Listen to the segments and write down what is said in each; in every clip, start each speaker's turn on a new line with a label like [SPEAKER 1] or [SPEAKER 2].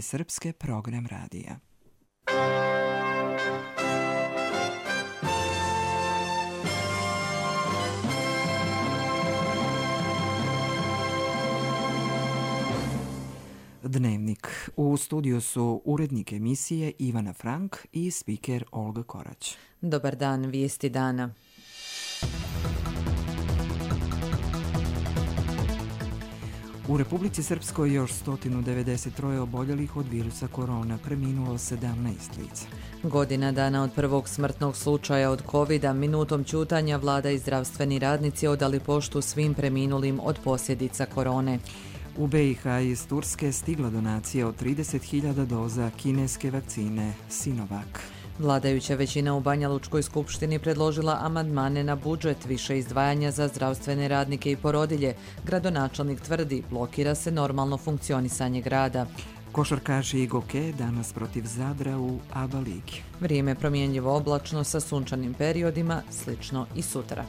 [SPEAKER 1] Srpske program radija. Dnevnik. U studiju su urednik emisije Ivana Frank i spiker Olga Korać.
[SPEAKER 2] Dobar dan, vijesti dana.
[SPEAKER 1] U Republici Srpskoj još 193 oboljelih od virusa korona, preminulo 17 lica.
[SPEAKER 2] Godina dana od prvog smrtnog slučaja od covida, minutom ćutanja vlada i zdravstveni radnici odali poštu svim preminulim od posljedica korone.
[SPEAKER 1] U BiH iz Turske stigla donacija od 30.000 doza kineske vakcine Sinovac.
[SPEAKER 2] Vladajuća većina u Banja Lučkoj skupštini predložila amandmane na budžet, više izdvajanja za zdravstvene radnike i porodilje. Gradonačelnik tvrdi, blokira se normalno funkcionisanje grada.
[SPEAKER 1] Košarkaši Igoke danas protiv Zadra u ABA ligi.
[SPEAKER 2] Vrijeme promjenjivo oblačno sa sunčanim periodima, slično i sutra.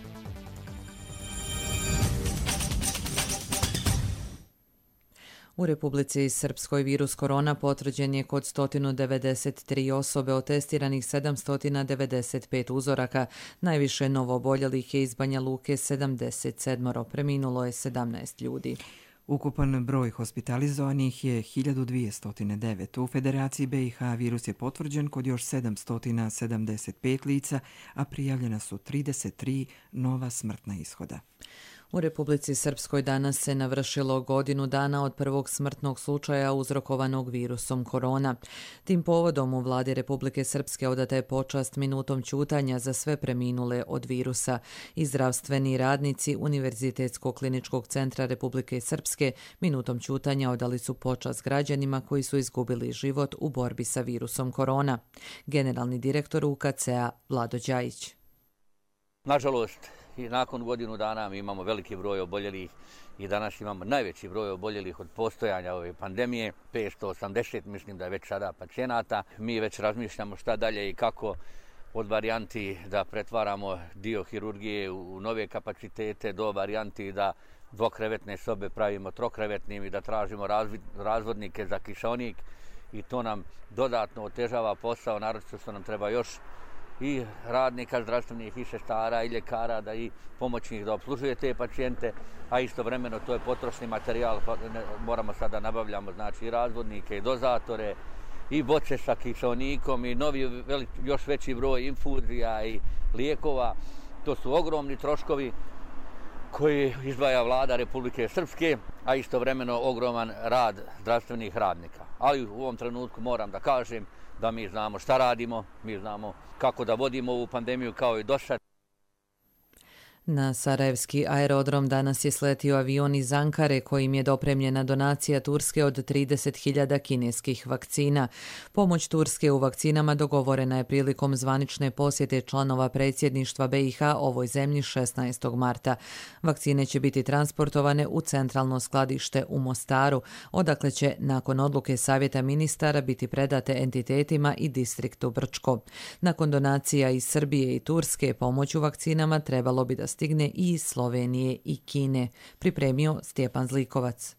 [SPEAKER 2] U Republici Srpskoj virus korona potvrđen je kod 193 osobe, od testiranih 795 uzoraka. Najviše novooboljelih je iz Banja Luke 77, preminulo je 17 ljudi.
[SPEAKER 1] Ukupan broj hospitalizovanih je 1209. U Federaciji BiH virus je potvrđen kod još 775 lica, a prijavljena su 33 nova smrtna ishoda.
[SPEAKER 2] U Republici Srpskoj danas se navršilo godinu dana od prvog smrtnog slučaja uzrokovanog virusom korona. Tim povodom u vladi Republike Srpske odata je počast minutom ćutanja za sve preminule od virusa. I zdravstveni radnici Univerzitetskog kliničkog centra Republike Srpske minutom ćutanja odali su počast građanima koji su izgubili život u borbi sa virusom korona. Generalni direktor UKC-a Vlado Đajić.
[SPEAKER 3] Nažalost, i nakon godinu dana mi imamo veliki broj oboljelih i danas imamo najveći broj oboljelih od postojanja ove pandemije, 580 mislim da je već sada pacijenata. Mi već razmišljamo šta dalje i kako od varijanti da pretvaramo dio hirurgije u nove kapacitete do varijanti da dvokrevetne sobe pravimo trokrevetnim i da tražimo razvodnike za kišonik i to nam dodatno otežava posao, naročito što nam treba još i radnika zdravstvenih i sestara i ljekara da i pomoćnih da opslužuje te pacijente, a istovremeno to je potrošni materijal, moramo sada nabavljamo znači i razvodnike i dozatore i boce sa kiseonikom i novi još veći broj infuzija i lijekova. To su ogromni troškovi koji izdvaja vlada Republike Srpske, a istovremeno ogroman rad zdravstvenih radnika. Ali u ovom trenutku moram da kažem da mi znamo šta radimo, mi znamo kako da vodimo ovu pandemiju kao i do sad.
[SPEAKER 2] Na sarajevski aerodrom danas je sletio avion iz Ankare kojim je dopremljena donacija Turske od 30.000 kineskih vakcina. Pomoć Turske u vakcinama dogovorena je prilikom zvanične posjete članova predsjedništva BiH ovoj zemlji 16. marta. Vakcine će biti transportovane u centralno skladište u Mostaru, odakle će nakon odluke Savjeta ministara biti predate entitetima i distriktu Brčko. Nakon donacija iz Srbije i Turske, pomoć u vakcinama trebalo bi da stigne i iz Slovenije i Kine, pripremio Stjepan Zlikovac.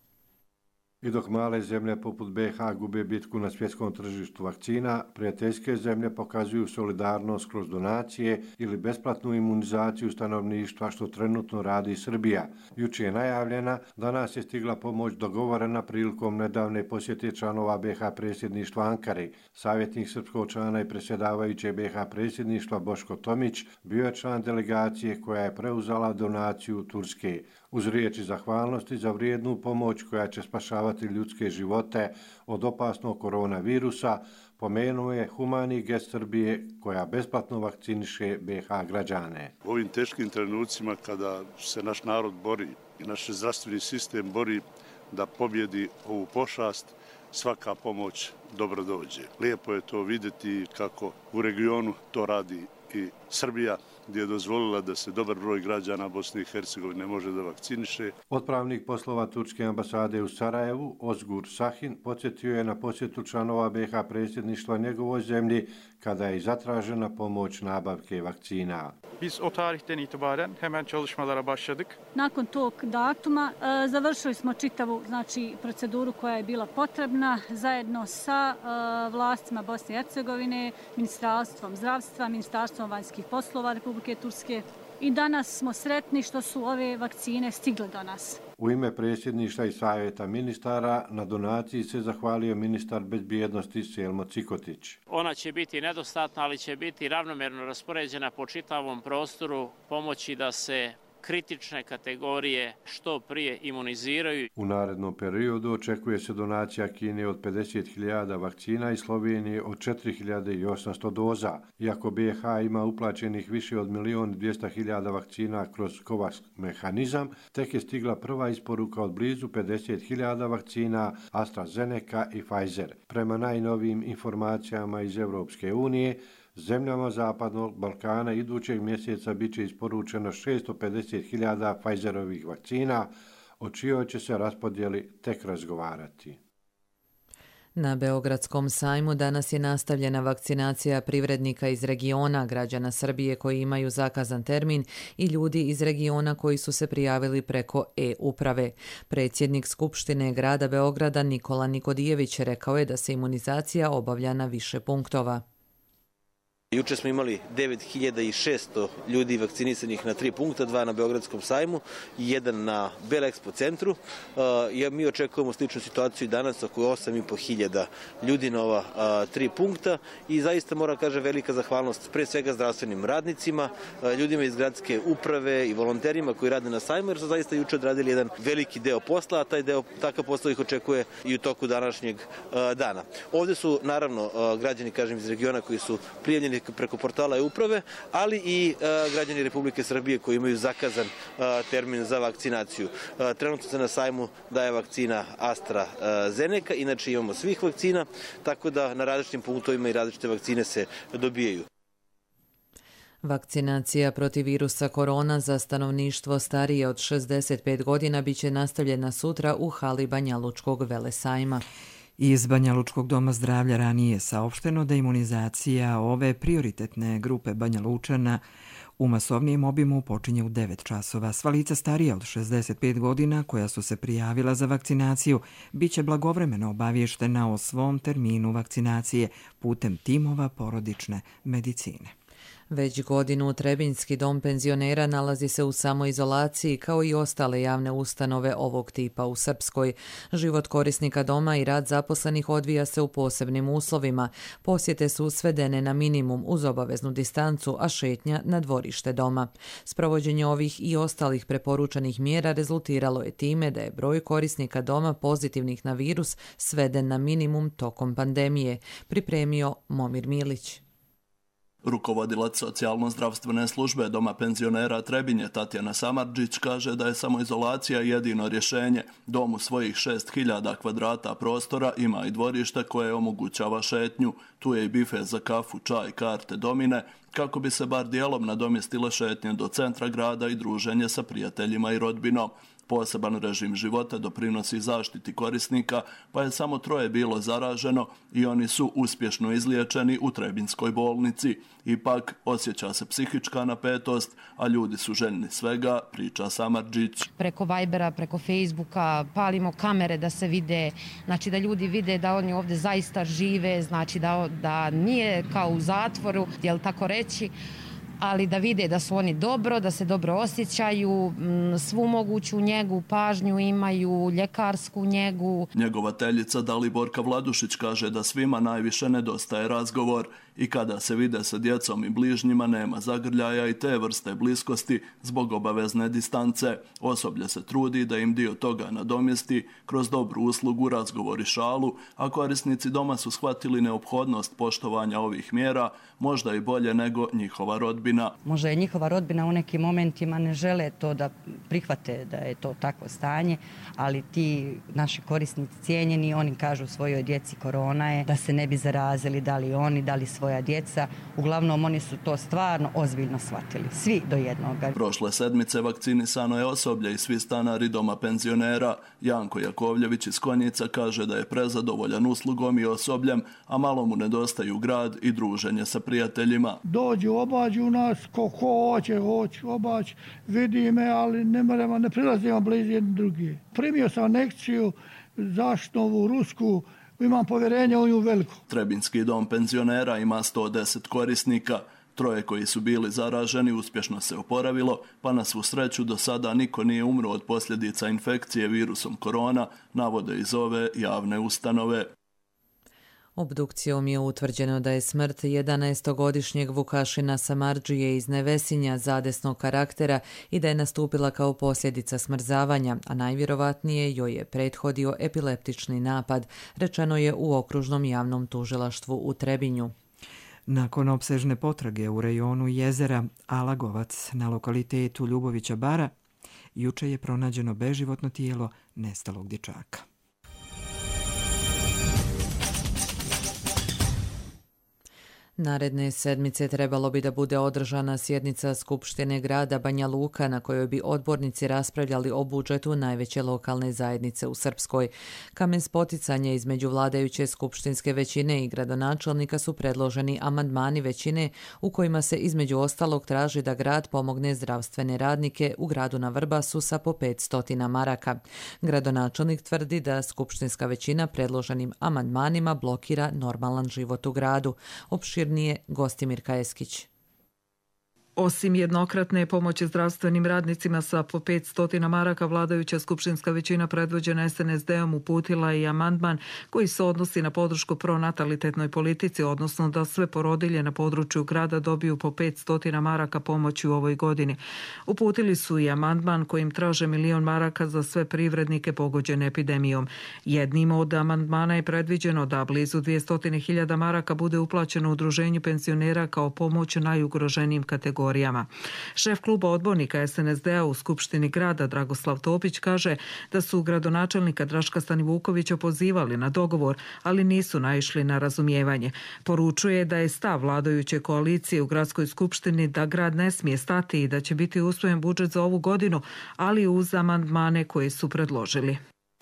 [SPEAKER 4] I dok male zemlje poput BiH gube bitku na svjetskom tržištu vakcina, prijateljske zemlje pokazuju solidarnost kroz donacije ili besplatnu imunizaciju stanovništva, što trenutno radi Srbija. Jučer je najavljena, danas je stigla pomoć dogovorena prilikom nedavne posjete članova BiH predsjedništva Ankare. Savjetnik srpskog člana i predsjedavajuće BiH predsjedništva Boško Tomić bio je član delegacije koja je preuzela donaciju Turske. Uz riječi zahvalnosti za vrijednu pomoć koja će spašavati ljudske živote od opasnog koronavirusa, pomenuo je humani gest Srbije koja besplatno vakciniše BiH građane.
[SPEAKER 5] U ovim teškim trenucima kada se naš narod bori i naš zdravstveni sistem bori da pobjedi ovu pošast, svaka pomoć dobro dođe. Lijepo je to vidjeti kako u regionu to radi i Srbija, gdje je dozvolila da se dobar broj građana Bosne i Hercegovine može da vakciniše.
[SPEAKER 4] Otpravnik poslova Turske ambasade u Sarajevu, Ozgur Sahin, podsjetio je na posjetu članova BiH predsjedništva njegovoj zemlji kada je zatražena pomoć nabavke vakcina.
[SPEAKER 6] Biz o tarihten itibaren hemen çalışmalara başladık.
[SPEAKER 7] Nakon tog datuma završili smo čitavu proceduru koja je bila potrebna zajedno sa vlastima Bosne i Hercegovine, Ministarstvom zdravstva, Ministarstvom vanjskih poslova Republike Turske. I danas smo sretni što su ove vakcine stigle do nas.
[SPEAKER 4] U ime predsjedništva i savjeta ministara na donaciji se zahvalio ministar bezbjednosti Selmo Cikotić.
[SPEAKER 8] Ona će biti nedostatna, ali će biti ravnomjerno raspoređena po čitavom prostoru, pomoći da se kritične kategorije što prije imuniziraju.
[SPEAKER 4] U narednom periodu očekuje se donacija Kine od 50.000 vakcina i Slovenije od 4.800 doza. Iako BiH ima uplaćenih više od 1.200.000 vakcina kroz COVAX mehanizam, tek je stigla prva isporuka od blizu 50.000 vakcina AstraZeneca i Pfizer. Prema najnovijim informacijama iz Europske unije, zemljama Zapadnog Balkana idućeg mjeseca bit će isporučeno 650.000 Pfizerovih vakcina, o čijoj će se raspodjeli tek razgovarati.
[SPEAKER 2] Na Beogradskom sajmu danas je nastavljena vakcinacija privrednika iz regiona, građana Srbije koji imaju zakazan termin i ljudi iz regiona koji su se prijavili preko e-uprave. Predsjednik Skupštine grada Beograda Nikola Nikodijević rekao je da se imunizacija obavlja na više punktova.
[SPEAKER 9] Juče smo imali 9600 ljudi vakcinisanih na 3 punkta, 2 na Beogradskom sajmu i 1 na Belexpo centru. Mi očekujemo sličnu situaciju i danas, oko 8500 ljudi na ova 3 punkta i zaista moram kažem velika zahvalnost pre svega zdravstvenim radnicima, ljudima iz gradske uprave i volonterima koji rade na sajmu jer su zaista juče odradili jedan veliki deo posla, a takav posao ih očekuje i u toku današnjeg dana. Ovdje su naravno građani iz regiona koji su prijavljeni preko portala e-uprave, ali i građani Republike Srbije koji imaju zakazan termin za vakcinaciju. Trenutno se na sajmu daje vakcina AstraZeneca, inače imamo svih vakcina, tako da na različitim punktovima i različite vakcine se dobijaju.
[SPEAKER 2] Vakcinacija protiv virusa korona za stanovništvo starije od 65 godina biće nastavljena sutra u hali Banjalučkog velesajma.
[SPEAKER 1] Iz Banjalučkog doma zdravlja ranije je saopšteno da imunizacija ove prioritetne grupe Banjalučana u masovnijem obimu počinje u 9 časova. Sva lica starija od 65 godina koja su se prijavila za vakcinaciju biće blagovremeno obavještena o svom terminu vakcinacije putem timova porodične medicine.
[SPEAKER 2] Već godinu Trebinjski dom penzionera nalazi se u samoizolaciji kao i ostale javne ustanove ovog tipa u Srpskoj. Život korisnika doma i rad zaposlenih odvija se u posebnim uslovima. Posjete su svedene na minimum uz obaveznu distancu, a šetnja na dvorište doma. Sprovođenje ovih i ostalih preporučanih mjera rezultiralo je time da je broj korisnika doma pozitivnih na virus sveden na minimum tokom pandemije, pripremio Momir Milić.
[SPEAKER 10] Rukovodilac socijalno-zdravstvene službe Doma penzionera Trebinje Tatjana Samardžić kaže da je samoizolacija jedino rješenje. Dom u svojih 6000 kvadrata prostora ima i dvorište koje omogućava šetnju. Tu je i bife za kafu, čaj, karte, domine, kako bi se bar dijelom nadomjestile šetnje do centra grada i druženje sa prijateljima i rodbinom. Poseban režim života doprinosi zaštiti korisnika, pa je samo 3 bilo zaraženo i oni su uspješno izliječeni u Trebinjskoj bolnici. Ipak osjeća se psihička napetost, a ljudi su željni svega, priča Samardžić.
[SPEAKER 11] Preko Vibera, preko Facebooka palimo kamere da se vide, znači da ljudi vide da oni ovdje zaista žive, znači da nije kao u zatvoru, jel tako reći, ali da vide da su oni dobro, da se dobro osjećaju, svu moguću njegu, pažnju imaju, ljekarsku njegu.
[SPEAKER 10] Njegovateljica Daliborka Vladušić kaže da svima najviše nedostaje razgovor i kada se vide sa djecom i bližnjima nema zagrljaja i te vrste bliskosti zbog obavezne distance. Osoblje se trudi da im dio toga nadomjesti kroz dobru uslugu, razgovor i šalu, a korisnici doma su shvatili neophodnost poštovanja ovih mjera, možda i bolje nego njihova rodbina. rodbina.
[SPEAKER 12] Možda je njihova rodbina u nekim momentima ne žele to da prihvate da je to takvo stanje, ali ti naši korisnici cijenjeni, oni kažu svojoj djeci korona je, da se ne bi zarazili, da li oni, da li svoja djeca. Uglavnom oni su to stvarno ozbiljno shvatili, svi do jednoga.
[SPEAKER 10] Prošle sedmice vakcinisano je osoblje i svi stanari doma penzionera. Janko Jakovljević iz Konjica kaže da je prezadovoljan uslugom i osobljem, a malo mu nedostaju grad i druženje sa prijateljima.
[SPEAKER 13] Dođu, obađu nas, ko hoće, obađu, vidi me, ali ne prilazimo blizu jedni drugi. Primio sam anekciju zaštitnu rusku, imam povjerenje u nju veliko.
[SPEAKER 10] Trebinski dom penzionera ima 110 korisnika. 3 koji su bili zaraženi uspješno se oporavilo, pa na svu sreću do sada niko nije umro od posljedica infekcije virusom korona, navode iz ove javne ustanove.
[SPEAKER 2] Obdukcijom je utvrđeno da je smrt 11-godišnjeg Vukašina Samardžije iz Nevesinja zadesnog karaktera i da je nastupila kao posljedica smrzavanja, a najvjerovatnije joj je prethodio epileptični napad, rečeno je u okružnom javnom tužilaštvu u Trebinju.
[SPEAKER 1] Nakon opsežne potrage u rejonu jezera Alagovac na lokalitetu Ljubovića Bara, juče je pronađeno beživotno tijelo nestalog dječaka.
[SPEAKER 2] Naredne sedmice trebalo bi da bude održana sjednica Skupštine grada Banja Luka na kojoj bi odbornici raspravljali o budžetu najveće lokalne zajednice u Srpskoj. Kamen spoticanja između vladajuće skupštinske većine i gradonačelnika su predloženi amandmani većine u kojima se između ostalog traži da grad pomogne zdravstvene radnike u gradu na Vrbasu sa po 500 maraka. Gradonačelnik tvrdi da skupštinska većina predloženim amandmanima blokira normalan život u gradu. Opširnije Gostimir Kajeskić.
[SPEAKER 14] Osim jednokratne pomoći zdravstvenim radnicima sa po 500 maraka, vladajuća skupštinska većina predvođena SNSD-om uputila i amandman koji se odnosi na podršku pronatalitetnoj politici, odnosno da sve porodilje na području grada dobiju po 500 maraka pomoći u ovoj godini. Uputili su i amandman kojim traže 1.000.000 maraka za sve privrednike pogođene epidemijom. Jednim od amandmana je predviđeno da blizu 200.000 maraka bude uplaćeno udruženju penzionera kao pomoć najugroženijim kategorijama. Šef kluba odbornika SNSD-a u Skupštini grada Dragoslav Topić kaže da su gradonačelnika Draška Stanivukovića pozivali na dogovor, ali nisu naišli na razumijevanje. Poručuje da je stav vladajuće koalicije u gradskoj skupštini da grad ne smije stati i da će biti usvojen budžet za ovu godinu, ali uz amandmane koje su predložili.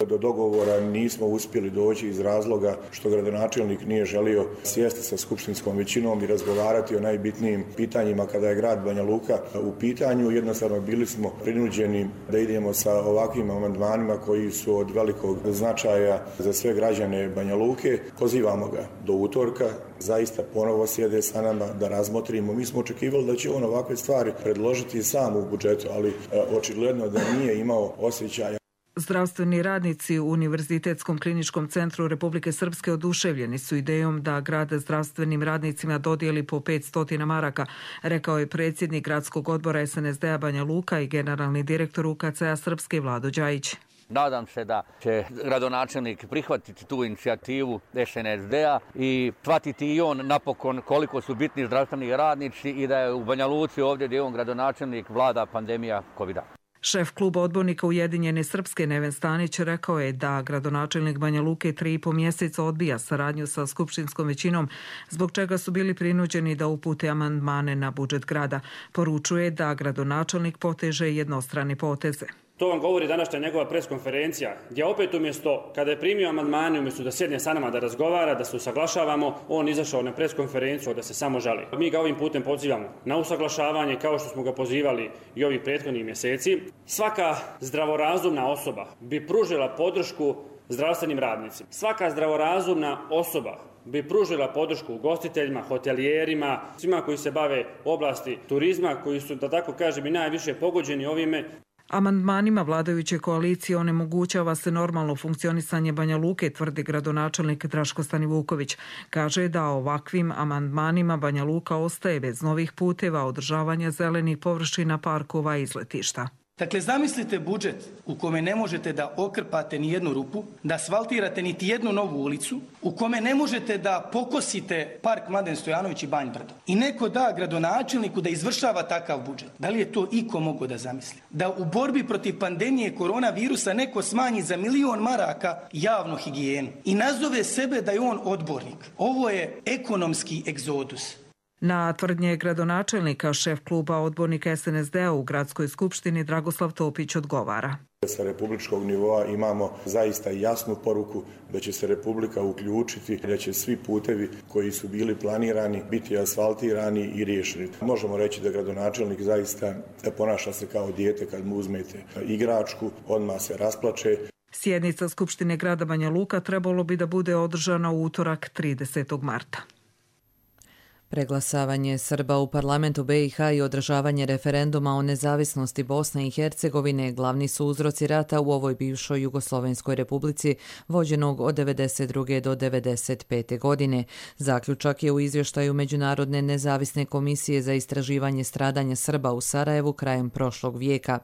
[SPEAKER 15] Do dogovora nismo uspjeli doći iz razloga što gradonačelnik nije želio sjesti sa skupštinskom većinom i razgovarati o najbitnijim pitanjima kada je grad Banja Luka u pitanju. Jednostavno bili smo prinuđeni da idemo sa ovakvim amandmanima koji su od velikog značaja za sve građane Banja Luke. Pozivamo ga do utorka, zaista ponovo sjede sa nama da razmotrimo. Mi smo očekivali da će on ovakve stvari predložiti sam u budžetu, ali očigledno da nije imao osjećaja.
[SPEAKER 14] Zdravstveni radnici u Univerzitetskom kliničkom centru Republike Srpske oduševljeni su idejom da grad zdravstvenim radnicima dodijeli po 500 maraka, rekao je predsjednik gradskog odbora SNSD-a Banja Luka i generalni direktor UKC-a Srpske Vlado Đajić.
[SPEAKER 3] Nadam se da će gradonačelnik prihvatiti tu inicijativu SNSD-a i shvatiti i on napokon koliko su bitni zdravstveni radnici i da je u Banja Luci ovdje gdje je on gradonačelnik vlada pandemija COVID-a.
[SPEAKER 14] Šef kluba odbornika Ujedinjene Srpske Neven Stanić rekao je da gradonačelnik Banja Luke 3,5 mjeseca odbija saradnju sa skupštinskom većinom, zbog čega su bili prinuđeni da upute amandmane na budžet grada. Poručuje da gradonačelnik poteže jednostrane poteze.
[SPEAKER 16] To vam govori današnja njegova preskonferencija, gdje opet umjesto, kada je primio amandmane, umjesto da sjedne sa nama da razgovara, da se usaglašavamo, on izašao na preskonferenciju da se samo žali. Mi ga ovim putem pozivamo na usaglašavanje kao što smo ga pozivali i ovih prethodnih mjeseci. Svaka zdravorazumna osoba bi pružila podršku zdravstvenim radnicima. Svaka zdravorazumna osoba bi pružila podršku ugostiteljima, hotelijerima, svima koji se bave oblasti turizma, koji su, da tako kažem, i najviše pogođeni ovime.
[SPEAKER 14] Amandmanima vladajuće koalicije onemogućava se normalno funkcionisanje Banja Luke, tvrdi gradonačelnik Draško Stanivuković. Kaže da ovakvim amandmanima Banja Luka ostaje bez novih puteva, održavanja zelenih površina, parkova i izletišta.
[SPEAKER 17] Dakle, zamislite budžet u kome ne možete da okrpate ni jednu rupu, da asfaltirate niti jednu novu ulicu, u kome ne možete da pokosite park Mladen Stojanović i Banj Brdo. I neko da gradonačelniku da izvršava takav budžet. Da li je to iko mogao da zamisli? Da u borbi protiv pandemije koronavirusa neko smanji za 1 milion maraka javnu higijenu i nazove sebe da je on odbornik. Ovo je ekonomski egzodus.
[SPEAKER 14] Na tvrdnje gradonačelnika šef kluba odbornika SNSD-a u Gradskoj skupštini Dragoslav Topić odgovara.
[SPEAKER 15] Sa republičkog nivoa imamo zaista jasnu poruku da će se Republika uključiti, da će svi putevi koji su bili planirani biti asfaltirani i riješeni. Možemo reći da gradonačelnik zaista ponaša se kao dijete kad mu uzmete igračku, odmah se rasplače.
[SPEAKER 14] Sjednica Skupštine grada Banja Luka trebalo bi da bude održana u utorak 30. marta.
[SPEAKER 2] Preglasavanje Srba u parlamentu BiH i održavanje referenduma o nezavisnosti Bosne i Hercegovine glavni su uzroci rata u ovoj bivšoj Jugoslovenskoj republici vođenog od 1992. do 1995. godine. Zaključak je u izvještaju Međunarodne nezavisne komisije za istraživanje stradanja Srba u Sarajevu krajem prošlog vijeka.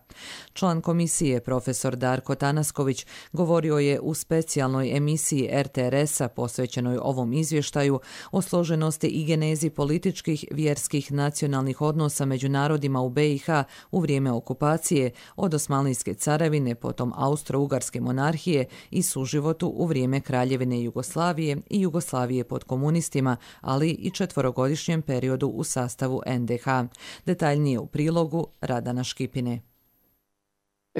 [SPEAKER 2] Član komisije, profesor Darko Tanasković, govorio je u specijalnoj emisiji RTRS-a posvećenoj ovom izvještaju o složenosti i genezi političkih, vjerskih, nacionalnih odnosa među narodima u BiH u vrijeme okupacije od Osmanlijske carevine, potom Austro-Ugarske monarhije i suživotu u vrijeme Kraljevine Jugoslavije i Jugoslavije pod komunistima, ali i 4-godišnjem periodu u sastavu NDH. Detaljnije u prilogu Radana Škipine.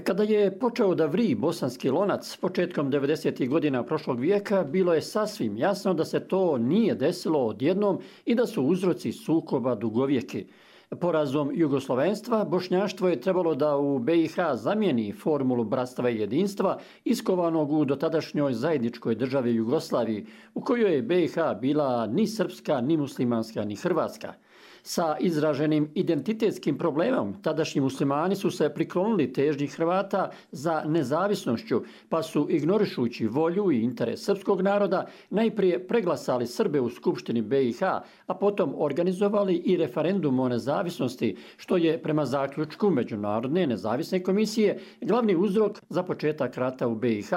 [SPEAKER 18] Kada je počeo da vri bosanski lonac početkom 90. godina prošlog vijeka, bilo je sasvim jasno da se to nije desilo odjednom i da su uzroci sukoba dugovjeki. Porazom jugoslovenstva, bošnjaštvo je trebalo da u BiH zamijeni formulu bratstva i jedinstva iskovanog u dotadašnjoj zajedničkoj državi Jugoslaviji, u kojoj je BiH bila ni srpska, ni muslimanska, ni hrvatska. Sa izraženim identitetskim problemom tadašnji muslimani su se priklonili težnji Hrvata za nezavisnošću, pa su ignorišući volju i interes srpskog naroda najprije preglasali Srbe u Skupštini BiH, a potom organizovali i referendum o nezavisnosti, što je prema zaključku Međunarodne nezavisne komisije glavni uzrok za početak rata u BiH,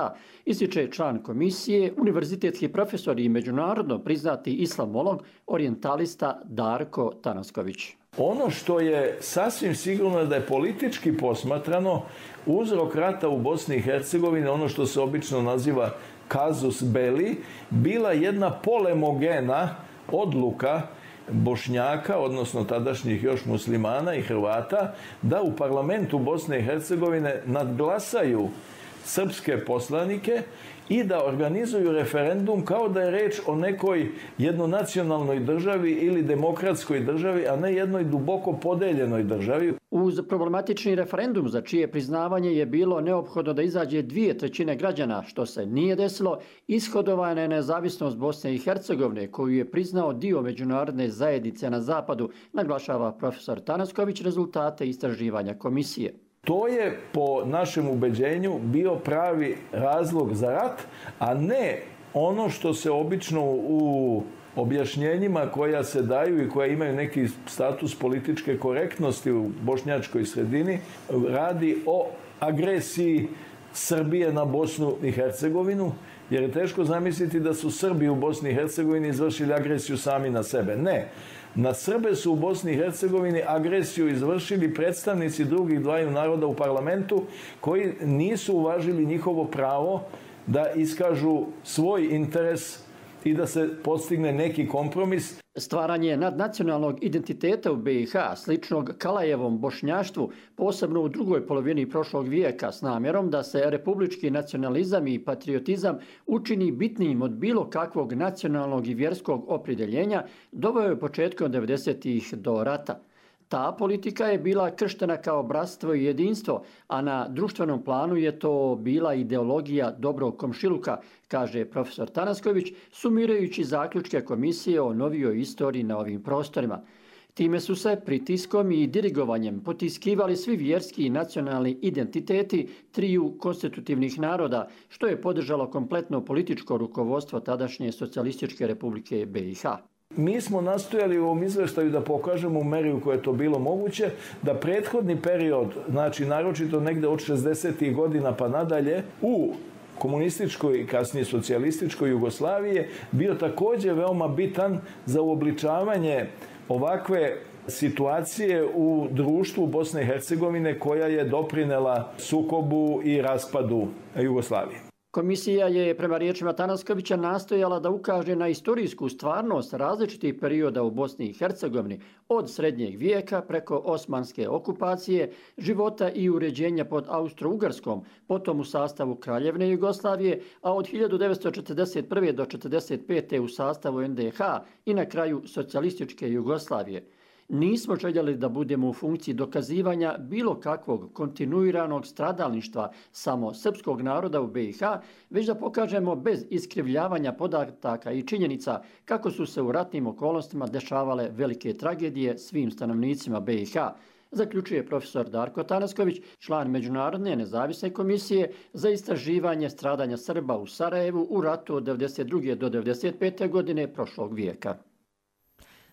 [SPEAKER 18] ističe član komisije, univerzitetski profesor i međunarodno priznati islamolog, orijentalista Darko Tanasković.
[SPEAKER 19] Ono što je sasvim sigurno da je politički posmatrano uzrok rata u Bosni i Hercegovini, ono što se obično naziva casus belli, bila jedna polemogena odluka Bošnjaka, odnosno tadašnjih još muslimana i Hrvata, da u parlamentu Bosne i Hercegovine nadglasaju srpske poslanike i da organizuju referendum kao da je reč o nekoj jednonacionalnoj državi ili demokratskoj državi, a ne jednoj duboko podeljenoj državi.
[SPEAKER 18] Uz problematični referendum za čije priznavanje je bilo neophodno da izađe 2/3 građana, što se nije desilo, ishodovana je nezavisnost Bosne i Hercegovine, koju je priznao dio međunarodne zajednice na zapadu, naglašava profesor Tanasković rezultate istraživanja komisije.
[SPEAKER 19] To je po našem ubeđenju bio pravi razlog za rat, a ne ono što se obično u objašnjenjima koja se daju i koja imaju neki status političke korektnosti u bošnjačkoj sredini radi o agresiji Srbije na Bosnu i Hercegovinu, jer je teško zamisliti da su Srbi u Bosni i Hercegovini izvršili agresiju sami na sebe. Ne. Na Srbe su u Bosni i Hercegovini agresiju izvršili predstavnici drugih dvaju naroda u parlamentu koji nisu uvažili njihovo pravo da iskažu svoj interes i da se postigne neki kompromis.
[SPEAKER 18] Stvaranje nadnacionalnog identiteta u BiH, sličnog Kalajevom bošnjaštvu, posebno u drugoj polovini prošlog vijeka, s namjerom da se republički nacionalizam i patriotizam učini bitnijim od bilo kakvog nacionalnog i vjerskog opredjeljenja, doveo je početkom 90-ih do rata. Ta politika je bila krštena kao bratstvo i jedinstvo, a na društvenom planu je to bila ideologija dobrog komšiluka, kaže profesor Tanasković, sumirajući zaključke komisije o novijoj istoriji na ovim prostorima. Time su se pritiskom i dirigovanjem potiskivali svi vjerski i nacionalni identiteti triju konstitutivnih naroda, što je podržalo kompletno političko rukovodstvo tadašnje Socijalističke republike BiH.
[SPEAKER 19] Mi smo nastojali u ovom izveštaju da pokažemo u meri u kojoj je to bilo moguće, da prethodni period, znači naročito negde od 60. godina pa nadalje, u komunističkoj i kasnije socijalističkoj Jugoslavije bio također veoma bitan za uobličavanje ovakve situacije u društvu Bosne i Hercegovine koja je doprinela sukobu i raspadu Jugoslavije.
[SPEAKER 18] Komisija je, prema riječima Tanaskovića, nastojala da ukaže na istorijsku stvarnost različitih perioda u Bosni i Hercegovini, od srednjeg vijeka preko osmanske okupacije, života i uređenja pod Austro-Ugarskom, potom u sastavu Kraljevne Jugoslavije, a od 1941. do 1945. u sastavu NDH i na kraju socijalističke Jugoslavije. Nismo željeli da budemo u funkciji dokazivanja bilo kakvog kontinuiranog stradalništva samo srpskog naroda u BiH, već da pokažemo bez iskrivljavanja podataka i činjenica kako su se u ratnim okolnostima dešavale velike tragedije svim stanovnicima BiH, zaključuje profesor Darko Tanasković, član Međunarodne nezavisne komisije za istraživanje stradanja Srba u Sarajevu u ratu od 1992. do 1995. godine prošlog vijeka.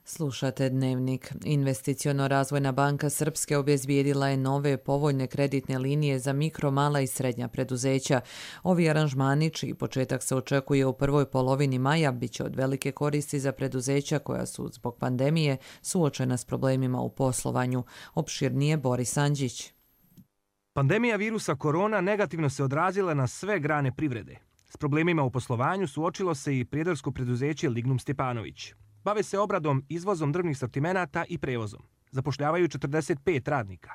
[SPEAKER 2] Slušate Dnevnik. Investiciono-razvojna banka Srpske obezbijedila je nove povoljne kreditne linije za mikro, mala i srednja preduzeća. Ovi aranžmani, čiji početak se očekuje u prvoj polovini maja, bit će od velike koristi za preduzeća koja su zbog pandemije suočena s problemima u poslovanju. Opširnije Boris Anđić.
[SPEAKER 20] Pandemija virusa korona negativno se odrazila na sve grane privrede. S problemima u poslovanju suočilo se i prijedarsko preduzeće Lignum Stjepanović. Bave se obradom, izvozom drvnih sortimenata i prevozom. Zapošljavaju 45 radnika.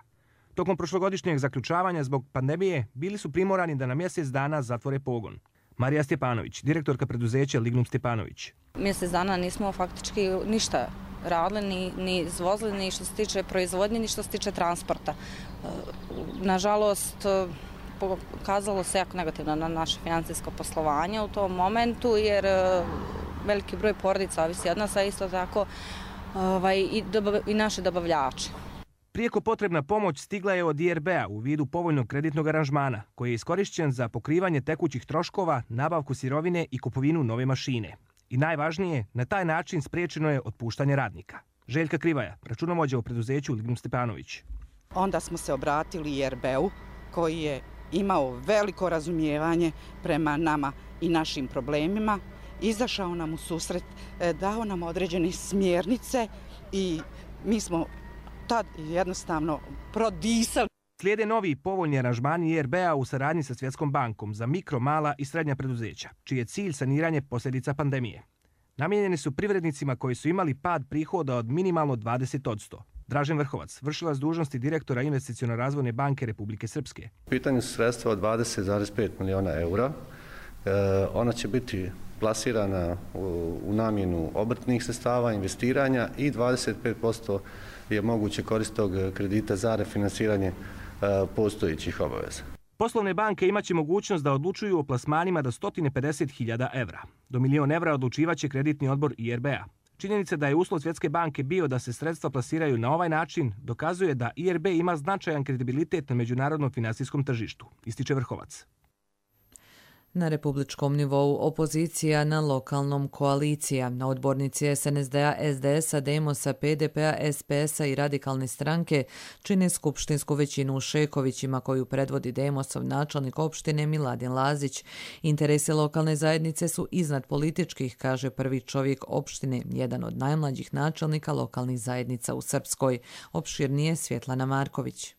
[SPEAKER 20] Tokom prošlogodišnjeg zaključavanja zbog pandemije bili su primorani da na mjesec dana zatvore pogon. Marija Stjepanović, direktorka preduzeća Lignum Stjepanović.
[SPEAKER 21] Mjesec dana nismo faktički ništa radili, ni izvozili, ni što se tiče proizvodnje, ni što se tiče transporta. Nažalost, pokazalo se jako negativno na naše financijsko poslovanje u tom momentu, jer veliki broj porodica ovisi od nas, a isto tako i naši dobavljači.
[SPEAKER 20] Prijeko potrebna pomoć stigla je od IRB-a u vidu povoljnog kreditnog aranžmana, koji je iskorišćen za pokrivanje tekućih troškova, nabavku sirovine i kupovinu nove mašine. I najvažnije, na taj način spriječeno je otpuštanje radnika. Željka Krivaja, računovođa u preduzeću Lignum Stjepanović.
[SPEAKER 22] Onda smo se obratili IRB-u, koji je imao veliko razumijevanje prema nama i našim problemima, izašao nam u susret, dao nam određene smjernice i mi smo tad jednostavno prodisali.
[SPEAKER 20] Slijede novi povoljni aranžmani IRB-a u saradnji sa Svjetskom bankom za mikro, mala i srednja preduzeća, čiji je cilj saniranje posljedica pandemije. Namijenjeni su privrednicima koji su imali pad prihoda od minimalno 20%. Dražen Vrhovac, vršilac dužnosti direktora Investiciono-razvojne banke Republike Srpske.
[SPEAKER 23] U pitanju su sredstva od 20,5 miliona eura. Ona će biti plasirana u namjenu obrtnih sredstava, investiranja i 25% je moguće korist tog kredita za refinansiranje postojećih obaveza.
[SPEAKER 20] Poslovne banke imaće mogućnost da odlučuju o plasmanima do 150.000 evra. Do 1.000.000 evra odlučivaće kreditni odbor IRB-a. Činjenica da je uslov Svjetske banke bio da se sredstva plasiraju na ovaj način dokazuje da IRB ima značajan kredibilitet na međunarodnom finansijskom tržištu, ističe Vrhovac.
[SPEAKER 2] Na republičkom nivou opozicija, na lokalnom koalicija. Na odbornici SNSD-a, SDS-a, Demosa, PDP-a, SPS-a i Radikalne stranke čine skupštinsku većinu u Šekovićima koju predvodi Demosov načelnik opštine Miladin Lazić. Interesi lokalne zajednice su iznad političkih, kaže prvi čovjek opštine, jedan od najmlađih načelnika lokalnih zajednica u Srpskoj. Opširnije Svjetlana Marković.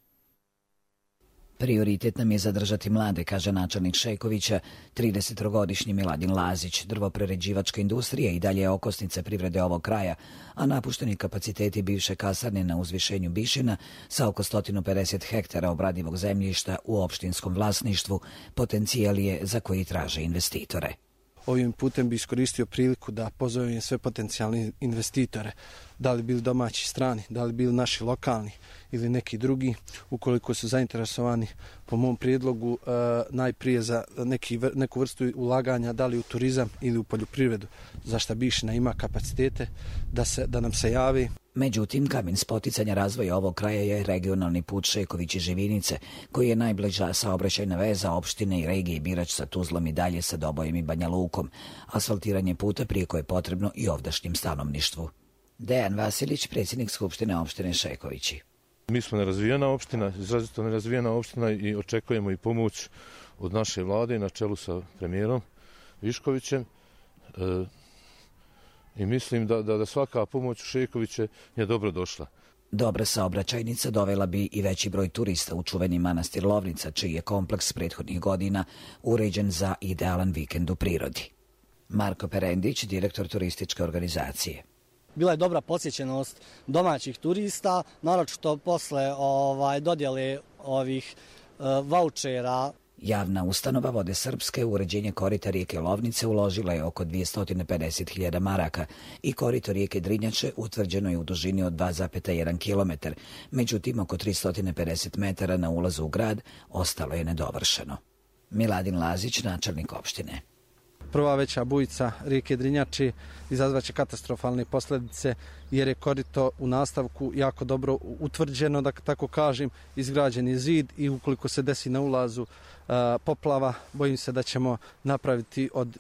[SPEAKER 24] Prioritet nam je zadržati mlade, kaže načelnik Šekovića, 30-godišnji Miladin Lazić. Drvoprerađivačka industrija i dalje je okosnica privrede ovog kraja, a napušteni kapaciteti bivše kasarne na uzvišenju Bišina sa oko 150 hektara obradivog zemljišta u opštinskom vlasništvu potencijal je za koji traže investitore.
[SPEAKER 25] Ovim putem bi iskoristio priliku da pozovem sve potencijalne investitore, da li bili domaći, strani, da li bili naši lokalni ili neki drugi, ukoliko su zainteresovani po mom prijedlogu najprije za neku vrstu ulaganja, da li u turizam ili u poljoprivredu, za šta Bišina ima kapacitete da nam se javi.
[SPEAKER 24] Međutim, kamen spoticanja razvoja ovog kraja je regionalni put Šekovići-Živinice, koji je najbliža saobraćajna veza opštine i regije Birač sa Tuzlom i dalje sa Dobojem i Banja Lukom. Asfaltiranje puta prijeko je potrebno i ovdašnjem stanovništvu. Dejan Vasilić, predsjednik Skupštine opštine Šekovići.
[SPEAKER 4] Mi smo nerazvijena opština, izrazito nerazvijena opština i očekujemo i pomoć od naše vlade na čelu sa premijerom Viškovićem. I mislim da svaka pomoć u Šekoviće je dobro došla.
[SPEAKER 24] Dobra saobraćajnica dovela bi i veći broj turista u čuveni manastir Lovnica, čiji je kompleks prethodnih godina uređen za idealan vikend u prirodi. Marko Perendić, direktor turističke organizacije.
[SPEAKER 5] Bila je dobra posjećenost domaćih turista, naročito posle dodjele ovih vaučera.
[SPEAKER 24] Javna ustanova Vode Srpske u uređenje korita rijeke Lovnice uložila je oko 250.000 maraka i korito rijeke Drinjače utvrđeno je u dužini od 2,1 km, međutim oko 350 metara na ulazu u grad ostalo je nedovršeno. Miladin Lazić, načelnik opštine.
[SPEAKER 25] Prva veća bujica rijeke Drinjače izazvaće katastrofalne posljedice jer je korito u nastavku jako dobro utvrđeno, da tako kažem, izgrađen je zid i ukoliko se desi na ulazu poplava, bojim se da ćemo napraviti od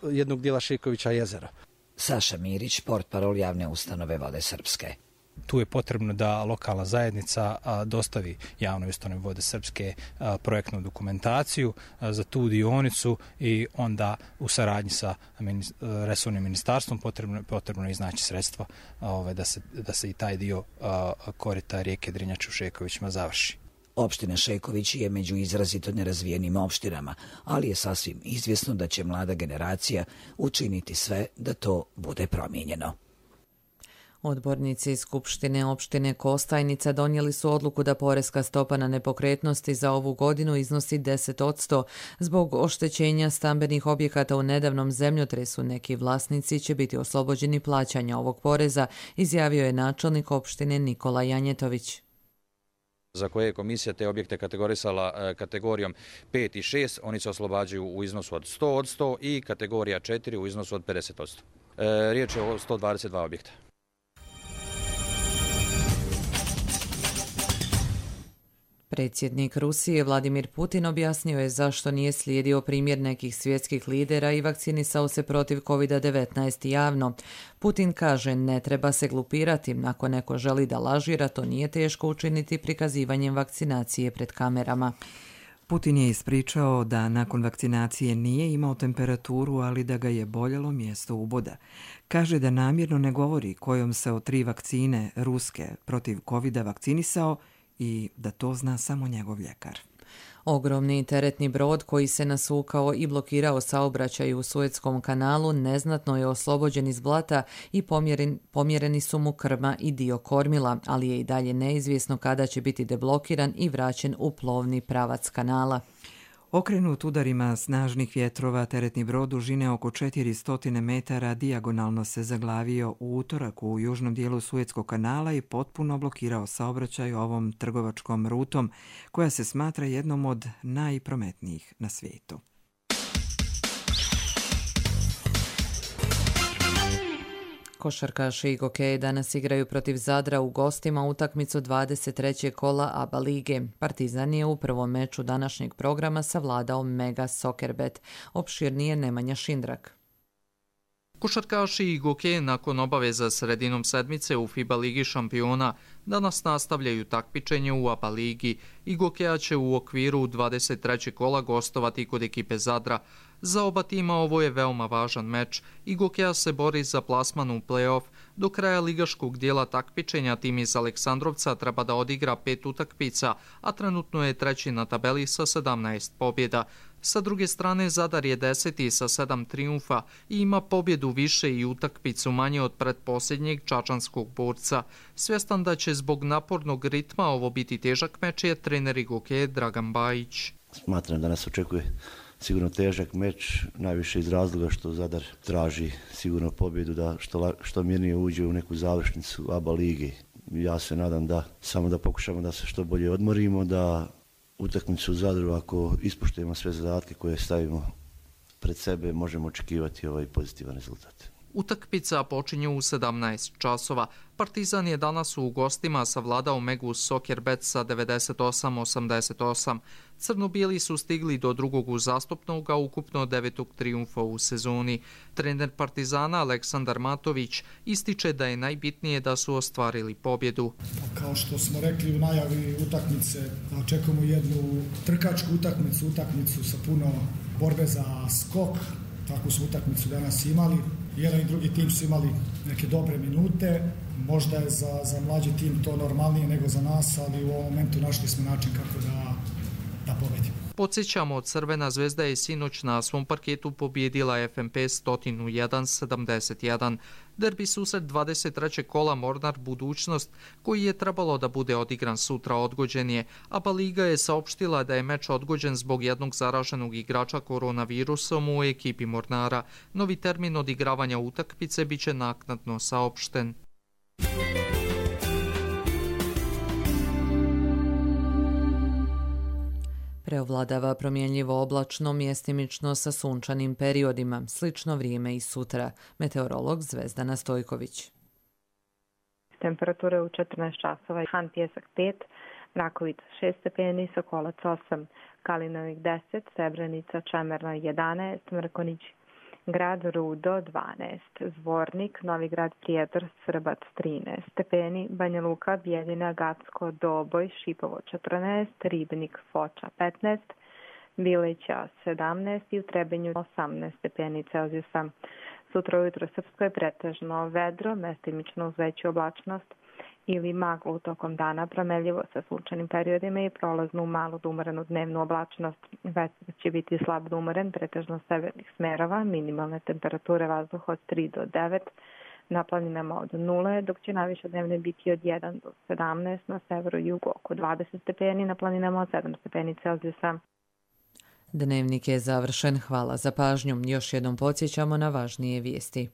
[SPEAKER 25] jednog dijela Šekovića jezero.
[SPEAKER 24] Saša Mirić, portparol javne ustanove Vode Srpske.
[SPEAKER 6] Tu je potrebno da lokalna zajednica dostavi javnoj ustanovi Vode Srpske projektnu dokumentaciju za tu dionicu i onda u saradnji sa resornim ministarstvom potrebno je iznaći sredstva da se i taj dio korita rijeke Drinjače u Šekovićima završi.
[SPEAKER 24] Opština Šeković je među izrazito nerazvijenim opštinama, ali je sasvim izvjesno da će mlada generacija učiniti sve da to bude promijenjeno.
[SPEAKER 2] Odbornici Skupštine opštine Kostajnica donijeli su odluku da poreska stopa na nepokretnosti za ovu godinu iznosi 10%. Zbog oštećenja stambenih objekata u nedavnom zemljotresu neki vlasnici će biti oslobođeni plaćanja ovog poreza, izjavio je načelnik opštine Nikola Janjetović.
[SPEAKER 7] Za koje je komisija te objekte kategorisala kategorijom 5 i 6, oni se oslobađaju u iznosu od 100% i kategorija 4 u iznosu od 50%. Riječ je o 122 objekta.
[SPEAKER 2] Predsjednik Rusije Vladimir Putin objasnio je zašto nije slijedio primjer nekih svjetskih lidera i vakcinisao se protiv COVID-19 javno. Putin kaže ne treba se glupirati, ako neko želi da lažira, to nije teško učiniti prikazivanjem vakcinacije pred kamerama.
[SPEAKER 1] Putin je ispričao da nakon vakcinacije nije imao temperaturu, ali da ga je boljelo mjesto uboda. Kaže da namjerno ne govori kojom se od 3 vakcine ruske protiv COVID-a vakcinisao i da to zna samo njegov ljekar.
[SPEAKER 2] Ogromni teretni brod koji se nasukao i blokirao saobraćaj u Suetskom kanalu neznatno je oslobođen iz blata i pomjereni su mu krma i dio kormila, ali je i dalje neizvjesno kada će biti deblokiran i vraćen u plovni pravac kanala.
[SPEAKER 1] Okrenut udarima snažnih vjetrova, teretni brod dužine oko 400 metara dijagonalno se zaglavio u utorak u južnom dijelu Suetskog kanala i potpuno blokirao saobraćaj ovom trgovačkom rutom, koja se smatra jednom od najprometnijih na svijetu.
[SPEAKER 2] Košarkaši i gokeji danas igraju protiv Zadra u gostima utakmicu 23. kola ABA lige. Partizan je u prvom meču današnjeg programa savladao Mega Soccerbet. Opširnije Nemanja Šindrak.
[SPEAKER 8] Košarkaši i gokeji nakon obaveza sredinom sedmice u FIBA ligi šampiona danas nastavljaju takmičenje u ABA ligi i gokeja će u okviru 23. kola gostovati kod ekipe Zadra. Za oba tima ovo je veoma važan meč i gokeja se bori za plasman u play-off. Do kraja ligaškog dijela takmičenja tim iz Aleksandrovca treba da odigra 5 utakmica, a trenutno je treći na tabeli sa 17 pobjeda. Sa druge strane, Zadar je 10. sa 7 trijumfa i ima pobjedu više i utakmicu manje od pretposljednjeg čačanskog borca. Svjestan da će zbog napornog ritma ovo biti težak meč je trener i gokeje Dragan Bajić.
[SPEAKER 26] Smatram da nas očekuje sigurno težak meč, najviše iz razloga što Zadar traži sigurno pobjedu da što mirnije uđe u neku završnicu ABA lige. Ja se nadam da samo da pokušamo da se što bolje odmorimo, da utakmicu u Zadru, ako ispoštujemo sve zadatke koje stavimo pred sebe, možemo očekivati pozitivan rezultat.
[SPEAKER 8] Utakmica počinje u 17 časova. Partizan je danas u gostima savladao Megus Soccer Bet sa 98-88. Crno-bijeli su stigli do drugog uzastopnog, a ukupno 9. trijumfa u sezoni. Trener Partizana Aleksandar Matović ističe da je najbitnije da su ostvarili pobjedu.
[SPEAKER 3] Kao što smo rekli u najavi utakmice, očekujemo jednu trkačku utakmicu sa puno borbe za skok. Takvu su utakmicu danas imali. Jedan i drugi tim su imali neke dobre minute. Možda je za mlađi tim to normalnije nego za nas, ali u ovom momentu našli smo način kako da pobedimo.
[SPEAKER 8] Podsjećamo, Crvena zvezda je sinoć na svom parketu pobjedila FNP 101-71. Derbi susret 23. kola Mornar Budućnost, koji je trebalo da bude odigran sutra, odgođen je. ABA Liga je saopštila da je meč odgođen zbog jednog zaraženog igrača koronavirusom u ekipi Mornara. Novi termin odigravanja utakmice biće naknadno saopšten.
[SPEAKER 2] Preovladava promjenljivo oblačno, mjestimično sa sunčanim periodima. Slično vrijeme i sutra. Meteorolog Zvezdana Stojković.
[SPEAKER 9] Temperature u 14 časova. Han Pjesak 5, Rakovica 6 stepeni, Sokolac 8, Kalinovik 10, Srebrenica, Čemerna 11, Mrkonić, Grad Rudo 12, Zvornik, Novi Grad Prijedor, Srbac 13 stepeni, Banja Luka, Bijeljina, Gacko, Doboj, Šipovo 14, Ribnik, Foča 15, Bileća 17 i u Trebinju 18 stepeni Celzijusa. Sutra ujutro Srpsko je pretežno vedro, mestimično uz veću oblačnost ili maglu tokom dana, promenljivo sa sunčanim periodima i prolaznu malu do umorenu dnevnu oblačnost. Vetar će biti slab do umoren, pretežno severnih smerova, minimalne temperature vazduha od 3 do 9, na planinama od 0, dok će najviše dnevne biti od 1 do 17, na severu i jugu oko 20 stepeni, na planinama od 7 stepeni Celzijusa.
[SPEAKER 2] Dnevnik je završen. Hvala za pažnju. Još jednom podsjećamo na važnije vijesti.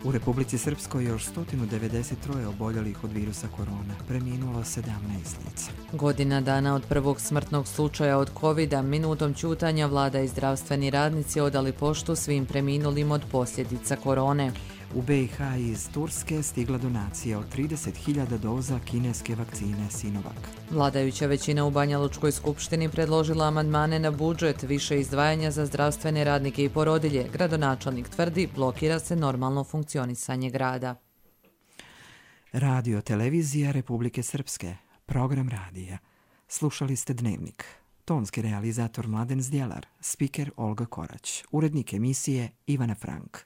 [SPEAKER 1] U Republici Srpskoj još 193 oboljelih od virusa korona, preminulo 17 lica.
[SPEAKER 2] Godina dana od prvog smrtnog slučaja od COVID-a, minutom ćutanja vlada i zdravstveni radnici odali poštu svim preminulim od posljedica korone.
[SPEAKER 1] U BiH iz Turske stigla donacija od 30.000 doza kineske vakcine Sinovac.
[SPEAKER 2] Vladajuća većina u Banja Lučkoj skupštini predložila amandmane na budžet, više izdvajanja za zdravstvene radnike i porodilje. Gradonačelnik tvrdi, blokira se normalno funkcionisanje grada.
[SPEAKER 1] Radio televizija Republike Srpske, program radija. Slušali ste Dnevnik. Tonski realizator Mladen Zdjelar, spiker Olga Korać, urednik emisije Ivana Frank.